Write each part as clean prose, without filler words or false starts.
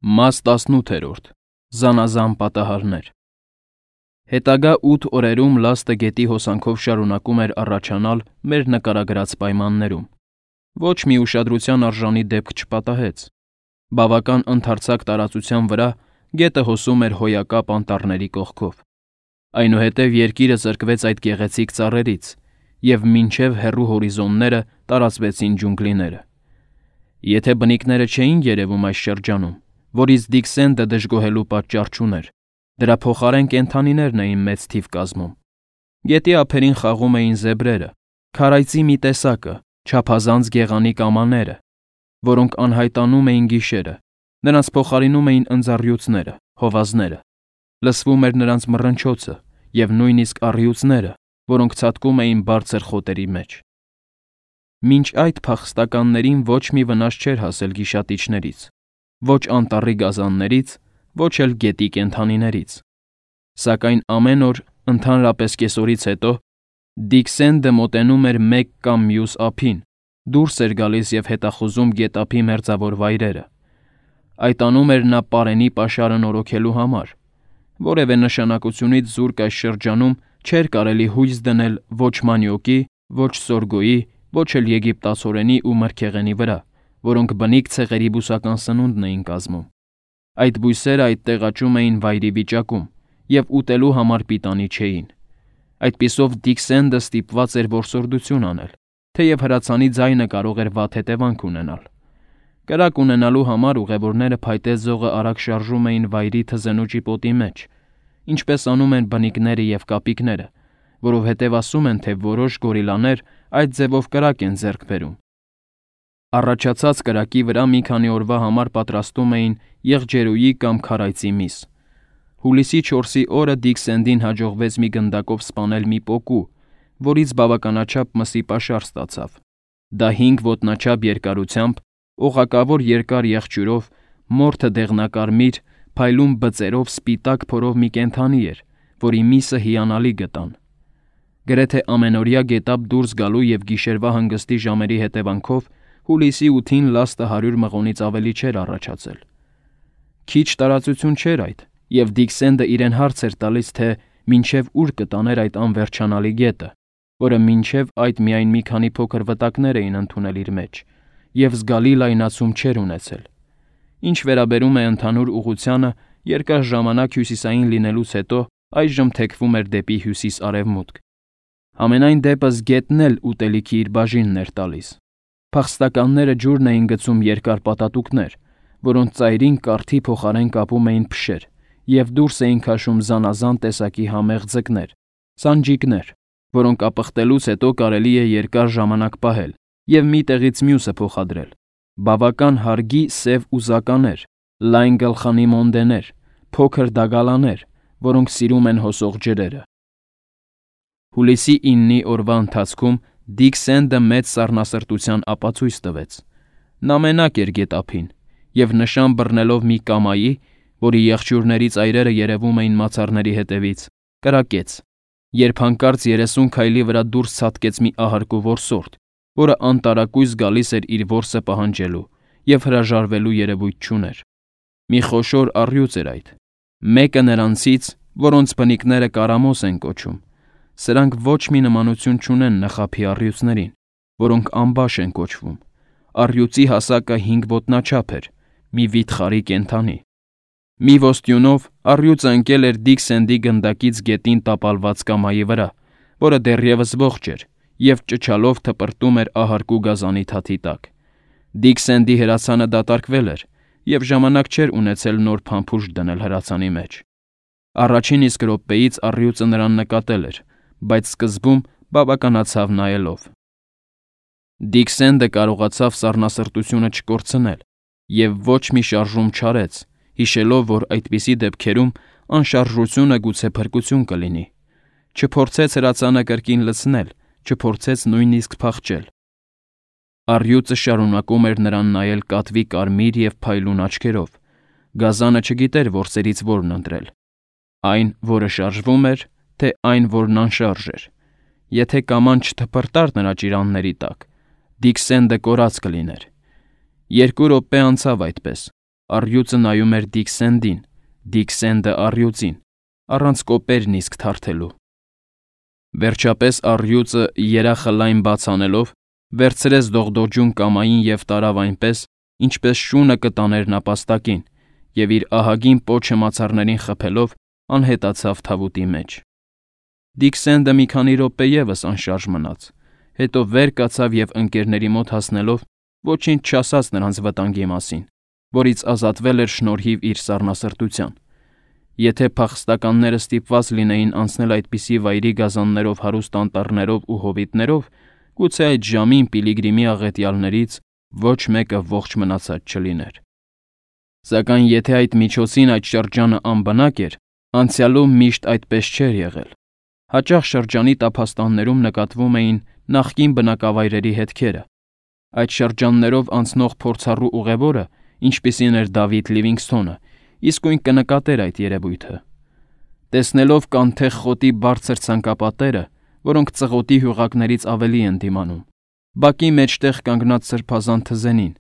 Մաս 18 Զանազան պատահարներ Հետագա 8 օրերում լաստը գետի հոսանքով շարունակում էր առաջանալ մեր նկարագրած պայմաններում։ Ոչ մի ուշադրության արժանի դեպք չպատահեց։ Բավական ընդարձակ տարածության վրա գետը հոսում էր հոյակապ անտառների կողքով։ Այնուհետև երկիրը զրկվեց այդ գեղեցիկ ծառերից, և մինչև հեռու հորիզոնները տարածվեցին ջունգլիները։ Եթե բնիկները չէին երևում այս շրջանում, որից Դիքսենդը դժգոհելու պատճառ չուներ, դրա փոխարեն կենդանիներն էին մեծ թիվ կազմում։ Գետի ափերին խաղում էին զեբրերը, քարայծի մի տեսակը, չափազանց գեղանի կամաները, որոնք անհայտանում էին գիշերը, նրանց փոխարինում էին ընձառյուծները, հովազները։ Լսվում էր նրանց մռնչոցը և նույնիսկ առյուծները, որոնք ցատկում էին բարձր խոտերի մեջ։ Մինչ այդ փախստականներին ոչ մի վնաս չէր հասել գիշատիչներից, ոչ անտառի գազաններից, ոչ էլ գետի կենդանիներից։ Սակայն ամեն օր, ընդհանրապես կեսօրից հետո, Դիքսենդը մոտենում էր մեկ կամ մյուս ափին, դուրս էր գալիս և հետախուզում գետափի մերձավոր վայրերը։ Այդ անում էր նա պարենի պաշարը նորոգելու համար։ Որևէ նշանակությունից զուրկ այս շրջանում չէր կարելի հույս դնել ոչ մանյոկի, ոչ սորգոյի, ոչ էլ եգիպտացորենի ու մրգեղենի վրա, որոնք բնիկ ցեղերի բուսական սնունդն էին կազմում։ Այդ բույսերը այդտեղ աճում էին վայրի վիճակում և ուտելու համար պիտանի չէին։ Այդպիսով Դիքսենդը ստիպված էր որսորդություն անել, թեև հրացանի ձայնը կարող էր վատ հետևանք ունենալ։ Կրակ ունենալու համար ուղևորները փայտե ձողը արագ շարժում էին վայրի թզենու ճիպոտի մեջ, ինչպես անում են բնիկները և կապիկները, որովհետև ասում են, թե որոշ գորիլաներ այդ ձևով կրակ են ձեռք բերում։ Առաջացած կրակի վրա մի քանի օրվա համար պատրաստում էին եղջերուի կամ քարայծի միս։ Հուլիսի 4-ի օրը Դիքսենդին հաջողվեց մի գնդակով սպանել մի պոկու, որից բավականաչափ մսի պաշար ստացավ։ Դա 5 ոտնաչափ երկարությամբ, օղակավոր երկար եղջյուրով, մորթը դեղնակարմիր, փայլուն բծերով սպիտակ փորով մի կենդանի էր, որի միսը հիանալի գտան։ Գրեթե ամենօրյա գետափ դուրս գալու և գիշերվա հանգստի ժամերի հետևանքով հուլիսի 8-ին լաստը 100 մղոնից ավելի չէր առաջացել։ Քիչ տարածություն չէր այդ, և Դիքսենդը իրեն հարց էր տալիս, թե մինչև ուր կտաներ այդ անվերջանալի գետը, որը մինչև այդ միայն մի քանի փոքր վտակներ էին ընդունել իր մեջ, և զգալի լայնացում չէր ունեցել։ Ինչ վերաբերում է ընդհանուր ուղղությանը, երկար ժամանակ հյուսիսային լինելուց հետո այժմ թեքվում էր դեպի հյուսիս֊արևմուտք։ Համենայն դեպս գետն էլ ուտելիքի իր բաժինն էր տալիս։ Փախստականները ջուրն էին գցում երկար պատատուկներ, որոնց ծայրին կառթի փոխարեն կապում էին փշեր, և դուրս էին քաշում զանազան տեսակի համեղ ձկներ, սանջիկներ, որոնք ապխտելուց հետո կարելի է երկար ժամանակ պահել և մի տեղից մյուսը փոխադրել, բավական հարգի սև ուզականեր, լայն գլխանի մոնդեներ, փոքր դագալաներ, որոնք սիրում են հոսող ջրերը։ Հուլիսի 9-ի օրվա ընթացքում Դիքսենդը մեծ սառնասրտության ապացույց տվեց։ Նա մենակ էր գետափին և նշան բռնելով մի կամայի, որի եղջյուրների ծայրերը երևում էին մացառների հետևից, կրակեց, երբ հանկարծ 30 քայլի վրա դուրս ցատկեց մի ահարկու որսորդ, որը անտարակույս գալիս էր իր որսը պահանջելու և հրաժարվելու երևույթ չուներ։ Մի խոշոր առյուծ էր այդ, մեկը նրանցից, որոնց բնիկները կարամոս են կոչում։ Սրանք ոչ մի նմանություն չունեն նխափի առյուծներին, որոնք ամբաշ են կոչվում։ Առյուծի հասակը 5 ոտնաչափ էր, մի վիթխարի կենդանի։ Մի ոստյունով առյուծը ընկել էր Դիքսենդի գնդակից գետին տապալված կամայի վրա, որը դեռևս ողջ էր, և ճչալով թպրտում էր ահարկու գազանի թաթի տակ։ Դիքսենդի հրացանը դատարկվել էր, և ժամանակ չէր ունեցել նոր փամփուշտ դնել հրացանի մեջ։ Առաջին իսկ րոպեից առյուծը նրան նկատել էր, բայց սկզբում բավականացավ նայելով։ Դիքսենդը կարողացավ սառնասրտությունը չկորցնել և ոչ մի շարժում չարեց, հիշելով, որ այդպիսի դեպքերում անշարժությունը գուցե փրկություն կլինի։ Չփորձեց հրացանը կրկին լցնել, չփորձեց նույնիսկ փախչել։ Առյուծը շարունակում էր նրան նայել կատվի կարմիր և փայլուն աչքերով։ Գազանը չգիտեր որսերից որն ընտրել։ Այն, որը շարժվում էր, թե այն, որն անշարժ էր։ Եթե կաման չթփրտար նրա ճիրանների տակ, Դիքսենդը կորած կլիներ։ 2 րոպե անցավ այդպես, Առյուծը նայում էր Դիքսենդին, Դիքսենդը առյուծին, առանց կոպերն իսկ թարթելու։ Վերջապես առյուծը երախը լայն բաց անելով վերցրեց դողդոջուն կամային և տարավ այնպես, ինչպես շունը կտաներ նապաստակին, և իր ահագին պոչը մացառներին խփելով անհետացավ թավուտի մեջ։ Դիքսենդը մի քանի րոպե ևս անշարժ մնաց, հետո վեր կացավ և ընկերների մոտ հասնելով ոչինչ չասաց նրանց վտանգի մասին, որից ազատվել էր շնորհիվ իր սառնասրտության։ Եթե փախստականները ստիպված լինեին անցնել այդպիսի վայրի գազաններով հարուստ անտառներով ու հովիտներով, գուցե այդ ժամին Պիլիգրիմի աղետյալներից ոչ մեկը ողջ մնացած չլիներ։ Սակայն եթե այդ միջոցին այդ շրջանը անբնակ էր, անցյալում միշտ այդպես չէր եղել։ Հաճախ շրջանի տափաստաններում նկատվում էին նախկին բնակավայրերի հետքերը։ Այդ շրջաններով անցնող փորձառու ուղևորը, ինչպիսին էր Դավիթ Լիվինգսթոնը, իսկույն կնկատեր այդ երևույթը։ Տեսնելով կանթեղ խոտի բարձր ցանկապատերը, որոնք ծղոտի հյուղակներից ավելի են դիմանում, բակի մեջտեղ կանգնած սրբազան թզենին,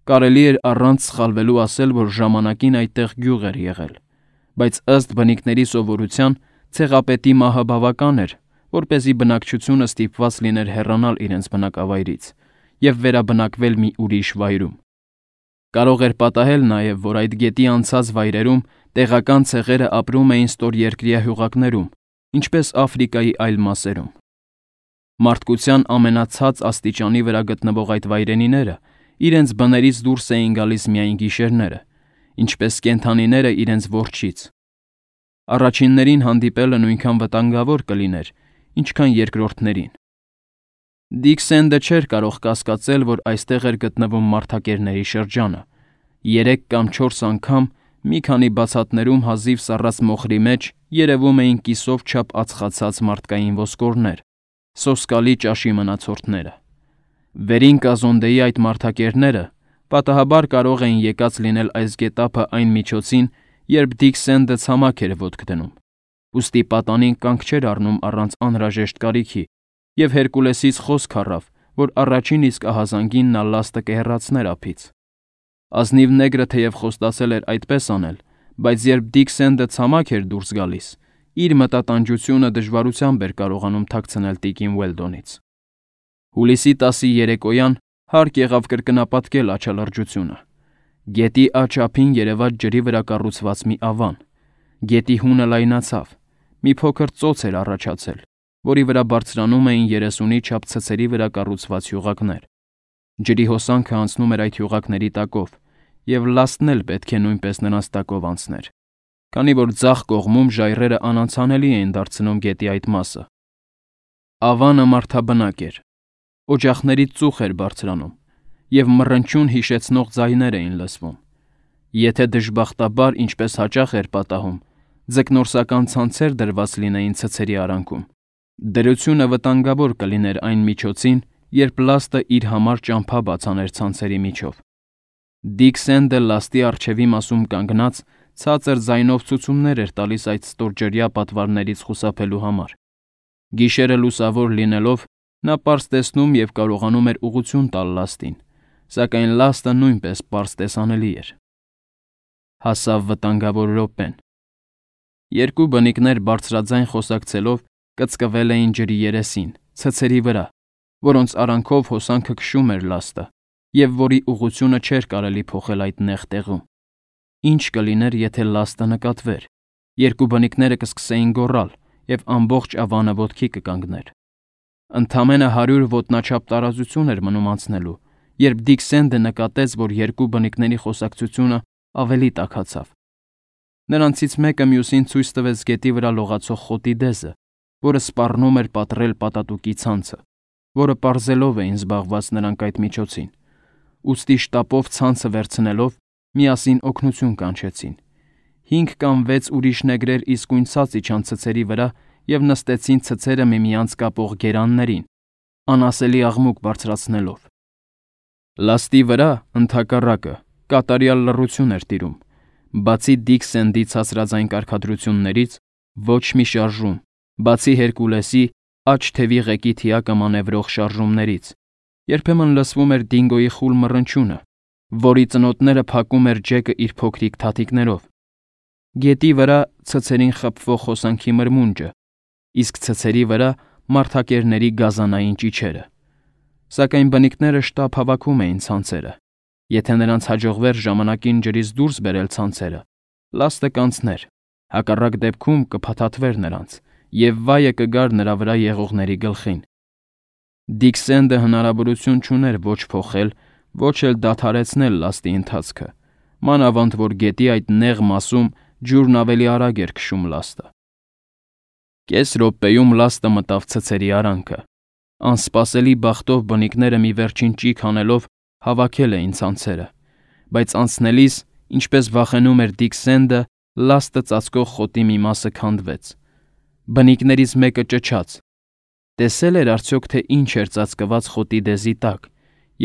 կարելի էր առանց սխալվելու ասել, որ ժամանակին այդտեղ գյուղ էր եղել, բայց ըստ բնիկների սովորության ցեղապետի մահը բավական էր, որպեսզի բնակչությունը ստիպված լիներ հեռանալ իրենց բնակավայրից և վերաբնակվել մի ուրիշ վայրում։ Կարող էր պատահել նաև, որ այդ գետի անցած վայրերում տեղական ցեղերը ապրում էին ստորերկրյա հյուղակներում, ինչպես Աֆրիկայի այլ մասերում։ Մարդկության ամենացած աստիճանի վրա գտնվող այդ վայրենիները իրենց բներից դուրս էին գալիս միայն գիշերները, ինչպես կենդանիները իրենց որջից։ Առաջիններին հանդիպելը նույնքան վտանգավոր կլիներ, ինչքան երկրորդներին։ Դիքսենդը չէր կարող կասկածել, որ այստեղ էր գտնվում մարդակերների շրջանը։ 3 կամ 4 անգամ մի քանի բացատներում հազիվ սառած մոխրի մեջ երևում էին կիսով չափ ածխացած մարդկային ոսկորներ, սոսկալի ճաշի մնացորդները։ Վերին կազոնդեի այդ մարդակերները պատահաբար կարող էին եկած լինել այս գետափը այն միջոցին, երբ Դիքսենդը ցամաք էր ոտք դնում, ուստի պատանին կանգ չէր առնում առանց անհրաժեշտ կարիքի, և Հերկուլեսից խոսք առավ, որ առաջին իսկ ահազանգին նա լաստը կհեռացներ ափից։ Ազնիվ նեգրը թեև խոստացել էր այդպես անել, բայց երբ Դիքսենդը ցամաք էր դուրս գալիս, իր մտատանջությունը դժվարությամբ էր կարողանում թաքցնել տիկին Ուելդոնից։ Հուլիսի 10-ի երեկոյան հարկ եղավ կրկնապատկել աչալրջությունը։ Գետի աջ ափին երևաց ջրի վրա կառուցված մի ավան։ Գետի հունը լայնացավ, մի փոքր ծոց էր առաջացել, որի վրա բարձրանում էին 30-ի չափ ցցերի վրա կառուցված հյուղակներ։ Ջրի հոսանքը անցնում էր այդ հյուղակների տակով, և լաստն էլ պետք է նույնպես նրանց տակով անցներ, քանի որ ձախ կողմում ժայռերը անանցանելի էին դարձնում գետի այդ մասը։ Ավանը մարդաբնակ էր։ Օջախներից ծուխ էր բարձրանում, և մռնչյուն հիշեցնող ձայներ էին լսվում։ Եթե դժբախտաբար, ինչպես հաճախ էր պատահում, ձկնորսական ցանցեր դրված լինեին ցցերի արանքում, դրությունը վտանգավոր կլիներ այն միջոցին, երբ լաստը իր համար ճամփա բացաներ ցանցերի միջով։ Դիքսենդը լաստի առջևի մասում կանգնած ցածր ձայնով ցուցումներ էր տալիս այդ ստորջրյա պատվարներից խուսափելու համար։ Գիշերը լուսավոր լինելով, նա պարզ տեսնում և կարողանում էր ուղղություն տալ լաստին, սակայն լաստը նույնպես պարզ տեսանելի էր։ Հասավ վտանգավոր րոպեն։ Երկու բնիկներ բարձրաձայն խոսակցելով կծկվել էին ջրի երեսին, ցցերի վրա, որոնց արանքով հոսանքը քշում էր լաստը, և որի ուղղությունը չէր կարելի փոխել այդ նեղ տեղում։ Ինչ կլիներ, եթե լաստը նկատվեր։ Երկու բնիկները կսկսեին գոռալ, և ամբողջ ավանը ոտքի կկանգներ։ Ընդամենը 100 ոտնաչափ տարածություն էր մնում անցնելու, երբ Դիքսենդը նկատեց, որ երկու բնիկների խոսակցությունը ավելի տաքացավ։ Նրանցից մեկը մյուսին ցույց տվեց գետի վրա լողացող խոտի դեզը, որը սպառնում էր պատռել պատատուկի ցանցը, որը պարզելով էին զբաղված նրանք այդ միջոցին։ Ուստի շտապով ցանցը վերցնելով, միասին օգնություն կանչեցին։ 5 կամ 6 ուրիշ նեգրեր իսկույն ցած իջան ցցերի վրա և նստեցին ցցերը միմյանց կապող գերաններին, անասելի աղմուկ բարձրացնելով։ Լաստի վրա, ընդհակառակը, կատարյալ լռություն էր տիրում, բացի Դիքսենդի ցածրաձայն կարգադրություններից, ոչ մի շարժում, բացի Հերկուլեսի աջ թևի ղեկի թիակը մանևրող շարժումներից, երբեմն լսվում էր Դինգոյի խուլ մռնչյունը, որի ծնոտները փակում էր Ջեկը իր փոքրիկ թաթիկներով։ Գետի վրա ցցերին խփվող հոսանքի մրմունջը, իսկ ցցերի վրա մարդակերների գազանային ճիչերը։ Սակայն բնիկները շտապ հավաքում էին ցանցերը։ Եթե նրանց հաջողվեր ժամանակին ջրից դուրս բերել ցանցերը, լաստը կանցներ, հակառակ դեպքում կփաթաթվեր նրանց, եւ վայը կգար նրա վրա եղողների գլխին։ Դիքսենդը հնարավորություն չուներ ոչ փոխել, ոչ էլ դադարեցնել լաստի ընթացքը, մանավանդ որ գետի այդ նեղ մասում ջուրն ավելի արագ էր քշում լաստը։ Կես րոպեում լաստը մտավ ցցերի արանքը։ Անսպասելի բախտով բնիկները մի վերջին ճիգ անելով հավաքել էին ցանցերը, բայց անցնելիս, ինչպես վախենում էր Դիքսենդը, լաստը ծածկող խոտի մի մասը քանդվեց։ Բնիկներից մեկը ճչաց. տեսել էր արդյոք թե ինչ էր ծածկված խոտի դեզի տակ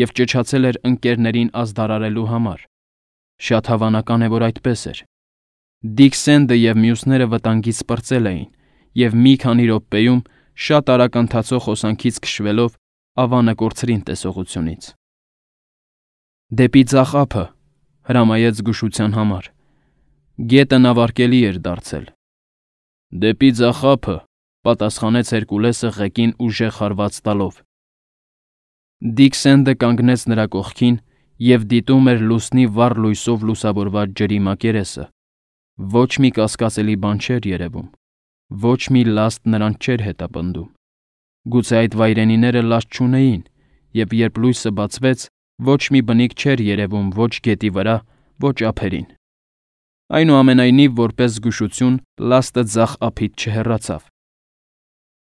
և ճչացել էր ընկերներին ազդարարելու համար։ Շատ հավանական է, որ այդպես էր։ Դիքսենդը և մյուսները վտանգից պրծել էին և մի քանի րոպեում շատ արագ ընթացող հոսանքից քշվելով ավանը կորցրին տեսողությունից։ Դեպի ձախ ափը, հրամայեց զգուշության համար։ Գետը նավարկելի էր դարձել։ Դեպի ձախ ափը, պատասխանեց Հերկուլեսը ղեկին ուժեղ հարված տալով։ Դիքսենդը կանգնեց նրա կողքին և դիտում էր լուսնի վառ լույսով լուսավորված ջրի մակերեսը։ Ոչ մի կասկածելի բան չէր երևում, ոչ մի լաստ նրանց չէր հետապնդում։ Գուցե այդ վայրենիները լաստ չունեին, և երբ լույսը բացվեց, ոչ մի բնիկ չէր երևում ոչ գետի վրա, ոչ ափերին։ Այնուամենայնիվ, որպես զգուշություն, լաստը ձախ ափից չհեռացավ։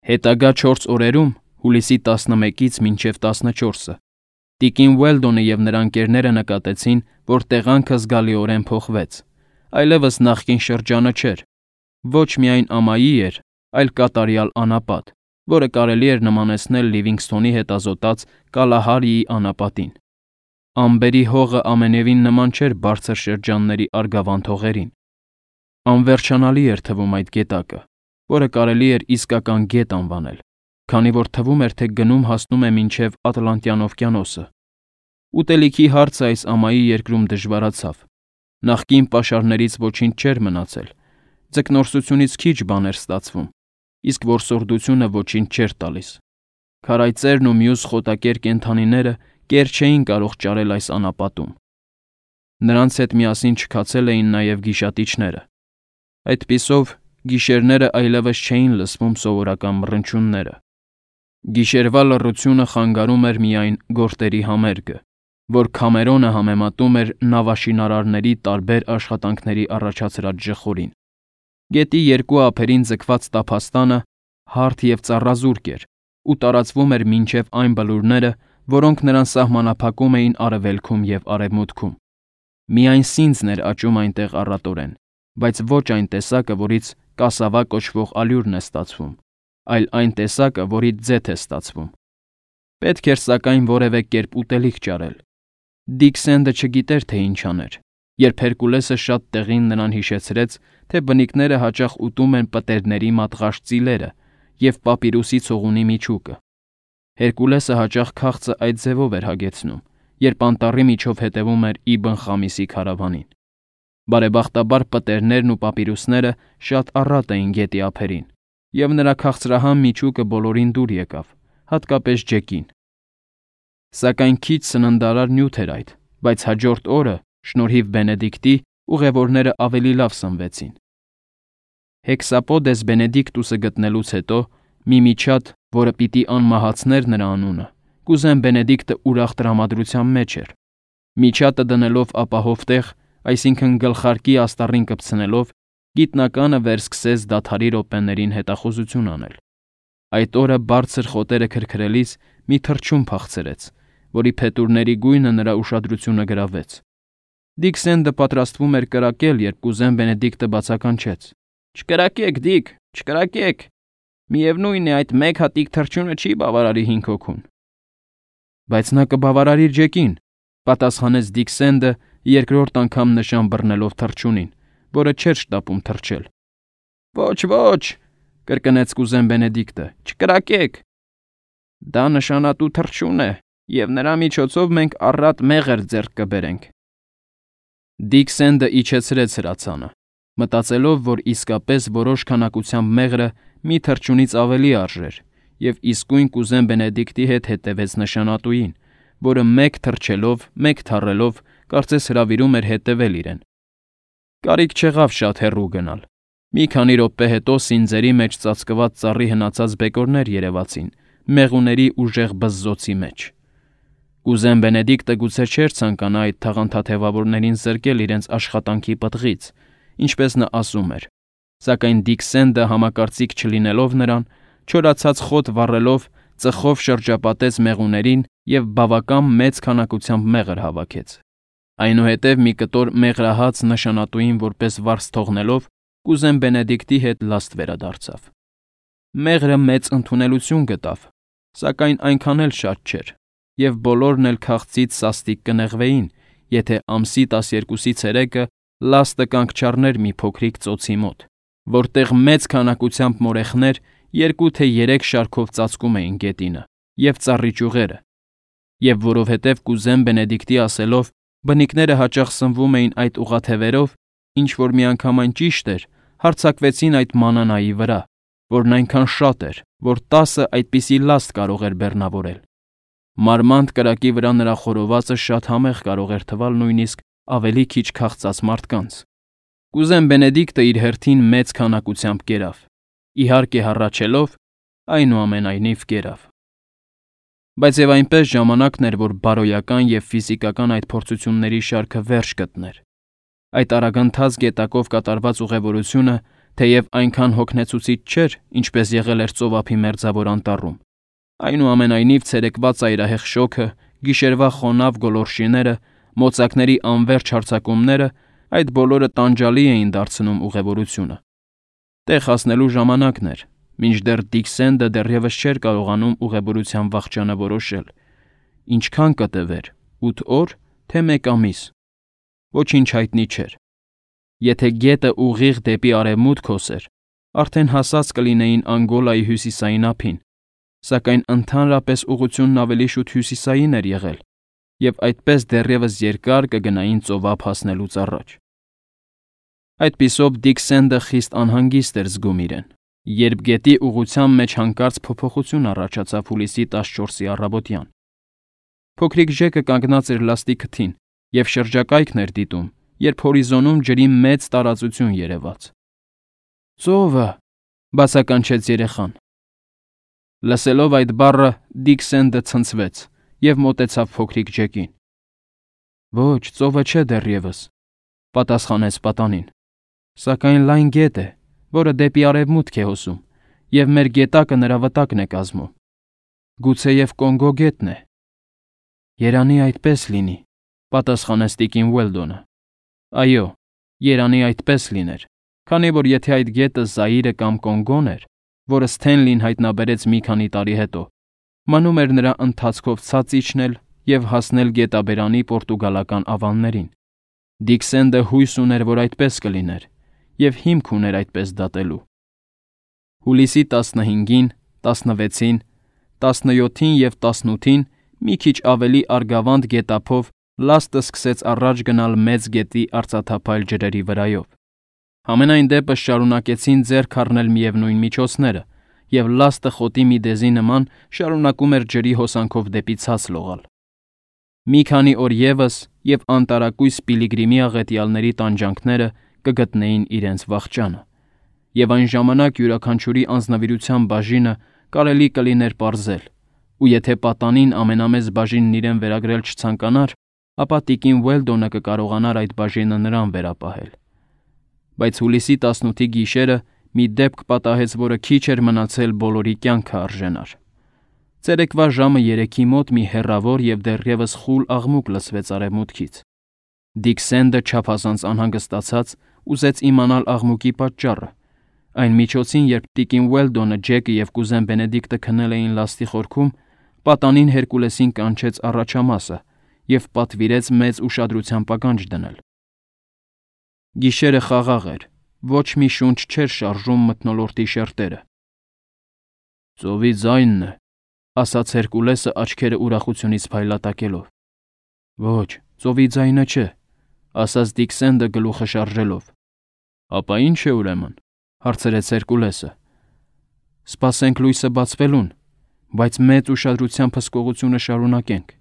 Հետագա 4 օրերում, հուլիսի 11-ից մինչև 14-ը, տիկին Ուելդոնը և նրա ընկերները նկատեցին, որ տեղանքը զգալիորեն փոխվեց, այլևս նախկին շրջանը չէր։ Ոչ միայն ամայի էր, այլ կատարյալ անապատ, որը կարելի էր նմանեցնել Լիվինգսթոնի հետազոտած Կալահարիի անապատին։ Ամբերի հողը ամենևին նման չէր բարձր շրջանների արգավանդ հողերին։ Անվերջանալի էր թվում այդ գետակը, որը կարելի էր իսկական գետ անվանել, քանի որ թվում էր, թե գնում հասնում է մինչև Ատլանտյան օվկիանոսը։ Ուտելիքի հարցը այս ամայի երկրում դժվարացավ։ Նախկին պաշարներից ոչինչ չէր մնացել, ձկնորսությունից քիչ բան էր ստացվում, իսկ որսորդությունը ոչինչ չէր տալիս։ Քարայծերն ու մյուս խոտակեր կենդանիները կեր չէին կարող ճարել այս անապատում։ Նրանց հետ միասին չքացել էին նաև գիշատիչները։ Այդպիսով, գիշերները այլևս չէին լսվում սովորական մռնչյունները։ Գիշերվա լռությունը խանգարում էր միայն գորտերի համերգը, որ Քամերոնը համեմատում էր նավաշինարարների տարբեր աշխատանքների առաջացրած ժխորին։ Գետի երկու ափերին ձգված տափաստանը հարթ և ծառազուրկ էր ու տարածվում էր մինչև այն բլուրները, որոնք նրան սահմանափակում էին արևելքում և արևմուտքում։ Միայն սինձն էր աճում այնտեղ առատորեն, բայց ոչ այն տեսակը, որից կասավա կոչվող ալյուրն է ստացվում, այլ այն տեսակը, որից ձեթ է ստացվում։ Պետք էր սակայն որևէ կերպ ուտելիք ճարել։ Դիքսենդը չգիտեր, թե ինչ աներ, երբ Հերկուլեսը շատ տեղին նրան հիշեցրեց, թե բնիկները հաճախ ուտում են պտերների մատղաշ ծիլերը և պապիրուսի ցողունի միջուկը։ Հերկուլեսը հաճախ քաղցը այդ ձևով էր հագեցնում, երբ անտառի միջով հետևում էր Իբն Խամիսի քարավանին։ Բարեբախտաբար պտերներն ու պապիրուսները շատ առատ էին գետի ափերին, և նրա քաղցրահամ միջուկը բոլորին դուր եկավ, հատկապես Ջեկին։ Սակայն քիչ սննդարար նյութ էր այդ, բայց հաջորդ օրը, շնորհիվ Բենեդիկտի, ուղևորները ավելի լավ սնվեցին։ Հեքսապոդես Բենեդիկտուսը գտնելուց հետո մի միջատ, որը պիտի անմահացներ նրա անունը, կուզեն Բենեդիկտը ուրախ տրամադրության մեջ էր։ Միջատը դնելով ապահով տեղ, այսինքն գլխարկի աստառին կպցնելով, գիտնականը վերսկսեց դադարի րոպեներին հետախուզություն անել։ Այդ օրը բարձր խոտերը քրքրելիս մի թռչուն փախցրեց, որի փետուրների գույնը նրա ուշադրությունը գրավեց։ Դիքսենդը պատրաստվում էր կրակել, երբ կուզեն Բենեդիկտը բացականչեց. «Չկրակեք, Դիք, չկրակեք։ Միևնույն է, այդ մեկ հատիկ թռչյունը չի բավարարի 5 հոգուն»։ Բայց նա կբավարարի Ջեկին, պատասխանեց Դիքսենդը երկրորդ անգամ նշան բռնելով թռչյունին, որը չէր շտապում թռչել։ «Ոչ, ոչ», կրկնեց կուզեն Բենեդիկտը, «չկրակեք»։ «Դա նշանատու թռչյուն է, և նրա միջոցով մենք առատ մեղր ձեռք կբերենք։ Դիք Սենդը իջեցրեց հրացանը, մտածելով, որ իսկապես որոշ քանակությամբ մեղրը մի թռչունից ավելի արժեր, և իսկույն կուզեն Բենեդիկտի հետ հետևեց նշանատուին, որը մեկ թռչելով, մեկ թռելով, կարծես հրավիրում էր հետևել իրեն։ Կարիք չեղավ շատ հեռու գնալ։ Մի քանի րոպե հետո սինձերի մեջ ծածկված ծառի հնացած բեկորներ երևացին, մեղուների ուժեղ բզզոցի մեջ։ Կուզեն Բենեդիկտը գուցե չէր ցանկանա այդ թաղանթաթևավորներին զրկել իրենց աշխատանքի պտղից, ինչպես նա ասում էր, սակայն Դիք Սենդը համակարծիք չլինելով նրան, չորացած խոտ վառելով, ծխով շրջապատեց մեղուներին և բավական մեծ քանակությամբ մեղր հավաքեց։ Այնուհետև մի կտոր մեղրահաց նշանատուին որպես վարձ թողնելով, կուզեն Բենեդիկտի հետ լաստ վերադարձավ։ Մեղրը մեծ ընդունելություն գտավ, սակայն այնքան էլ շատ չէր, և բոլորն էլ քաղցից սաստիկ կնեղվեին, եթե ամսի 12-ի ցերեկը լաստը կանգ չառներ մի փոքրիկ ծոցի մոտ, որտեղ մեծ քանակությամբ մորեխներ 2 թե 3 շարքով ծածկում էին գետինը և ծառի ճյուղերը, և որովհետև կուզեն Բենեդիկտի ասելով, բնիկները հաճախ սնվում էին այդ ուղաթևերով, ինչ որ միանգամայն ճիշտ էր, հարձակվեցին այդ մանանայի վրա, որն այնքան շատ էր, որ 10 այդպիսի լաստ կարող էր բեռնավորել։ Մարմանդ կրակի վրա նրա խորովածը շատ համեղ կարող էր թվալ նույնիսկ ավելի քիչ քաղցած մարդկանց։ Կուզեն Բենեդիկտը իր հերթին մեծ քանակությամբ կերավ, իհարկե հառաչելով, այնուամենայնիվ կերավ։ Բայց եւ այնպես ժամանակն էր, որ բարոյական եւ ֆիզիկական այդ փորձությունների շարքը վերջ գտներ։ Այդ արագընթաց գետակով կատարված ուղևորությունը, թեև այնքան հոգնեցուցիչ չէր, ինչպես եղել էր ծովափի մերձավոր անտառում, այնուամենայնիվ ցերեկվա ծայրահեղ շոգը, գիշերվա խոնավ գոլորշիները, մոծակների անվերջ հարձակումները, այդ բոլորը տանջալի էին դարձնում ուղևորությունը։ Տեղ հասնելու ժամանակն էր, մինչդեռ Դիք Սենդը դեռևս չէր կարողանում ուղևորության վախճանը որոշել։ Ինչքան կտևեր, 8 օր, թե 1 ամիս։ Ոչինչ հայտնի չէր։ Եթե գետը ուղիղ դեպի արևմուտք հոսեր, արդեն հասած կլինեին Անգոլայի հյուսիսային ափին, սակայն ընդհանրապես ուղղությունն ավելի շուտ հյուսիսային էր եղել, և այդպես դեռևս երկար կգնային ծովափ հասնելուց առաջ։ Այդպիսով Դիք Սենդը խիստ անհանգիստ էր զգում իրեն, երբ գետի ուղղության մեջ հանկարծ փոփոխություն առաջացավ հուլիսի 14-ի առավոտյան։ Փոքրիկ ժեկը կանգնած էր լաստի քթին և շրջակայքն էր դիտում, երբ հորիզոնում ջրի մեծ տարածություն երևաց։ «Ծովը», բացականչեց երեխան։ Լսելով այդ բառը Դիք Սենդը ցնցվեց և մոտեցավ փոքրիկ ջեկին։ «Ոչ, ծովը չէ դեռևս», պատասխանեց պատանին, «սակայն լայն գետ է, որը դեպի արևմուտք է հոսում, և մեր գետակը նրա վտակն է կազմում։ Գուցեև Կոնգո գետն է»։ «Երանի այդպես լինի», պատասխանեց տիկին Ուելդոնը։ «Այո, երանի այդպես լիներ, քանի որ եթե այդ գետը Զաիրը կամ Կոնգոն էր, որը Սթենլին հայտնաբերեց մի քանի տարի հետո, մնում էր նրա ընթացքով ցած իջնել և հասնել գետաբերանի պորտուգալական ավաններին։ Դիք Սենդը հույս ուներ, որ այդպես կլիներ, և հիմք ուներ այդպես դատելու։ Հուլիսի 15-ին, 16-ին, 17-ին և 18-ին մի քիչ ավելի արգավանդ գետափով լաստը սկսեց առաջ գնալ Մեծ գետի արծաթափայլ ջրերի վրայով։ Համենայն դեպս շարունակեցին ձեռք առնել միևնույն միջոցները, և լաստը խոտի մի դեզի նման շարունակում էր ջրի հոսանքով դեպի ցած լողալ։ Մի քանի օր ևս, և անտարակույս Պիլիգրիմի աղետյալների տանջանքները կգտնեին իրենց վախճանը, և այն ժամանակ յուրաքանչյուրի անձնվիրության բաժինը կարելի կլիներ պարզել, ու եթե պատանին ամենամեծ բաժինն իրեն վերագրել չցանկանար, ապա տիկին Ուելդոնը կկարողանար այդ բաժինը նրան վերապահել։ Բայց հուլիսի 18-ի գիշերը մի դեպք պատահեց, որը քիչ էր մնացել բոլորի կյանքը արժենար։ Ցերեկվա ժամը 3-ի մոտ մի հեռավոր և դեռևս խուլ աղմուկ լսվեց արևմուտքից։ Դիք Սենդը չափազանց անհանգստացած ուզեց իմանալ աղմուկի պատճառը։ Այն միջոցին, երբ տիկին Ուելդոնը, Ջեկը և կուզեն Բենեդիկտը քնել էին լաստի խորքում, պատանին Հերկուլեսին կանչեց առաջամասը և պատվիրեց մեծ ուշադրությամբ ականջ դնել։ Գիշերը խաղաղ էր, ոչ մի շունչ չէր շարժում մթնոլորտի շերտերը։ «Ծովի ձայնն է, ասաց Հերկուլեսը աչքերը ուրախությունից փայլատակելով։ Ոչ, ծովի ձայնը չէ, ասաց Դիքսենդը գլուխը շարժելով։ Ապա ինչ է ուրեմն, հարցրեց Հերկուլեսը։ Սպասենք լույսը բացվելուն, բայց մեծ ուշադրությամբ հսկողությունը շարունակենք։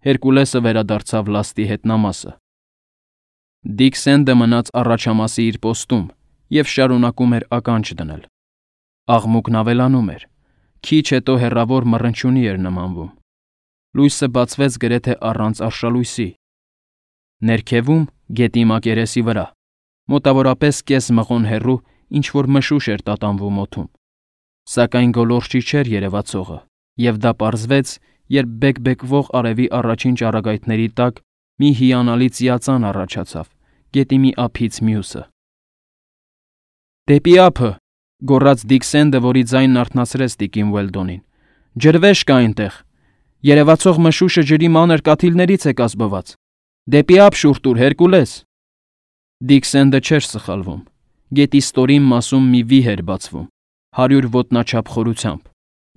Հերկուլեսը վերադարձավ լաստի հետնամասը։ Դիքսենդը մնաց առաջամասի իր պոստում և շարունակում էր ականջ դնել։ Աղմուկն ավելանում էր, քիչ հետո հեռավոր մռնչյունի էր նմանվում։ Լույսը բացվեց գրեթե առանց արշալույսի։ Ներքևում, գետի մակերեսի վրա, մոտավորապես կես մղոն հեռու ինչ-որ մշուշ էր տատանվում օդում։ Սակայն գոլորշի չէր երևացողը, և դա պարզվեց, երբ բեկբեկվող արևի առաջին ճառագայթների տակ մի հիանալի ծիածան առաջացավ, գետի մի ափից մյուսը։ «Դեպի ափը», գոռաց Դիքսենդը, որի ձայնն արթնացրեց տիկին Ուելդոնին։ «Ջրվեժ կա այնտեղ։ Երևացող մշուշը ջրի մանր կաթիլներից է կազմված։ Դեպի ափ շուռ տուր, Հերկուլես»։ Դիքսենդը չէր սխալվում։ Գետի ստորին մասում մի վիհ էր բացվում, 100 ոտնաչափ խորությամբ,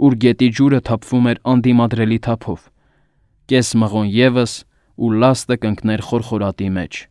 ուր գետի ջուրը թափվում էր անդիմադրելի թափով։ Կես մղոն ևս, ու լաստը կընկներ խորխորատի մեջ։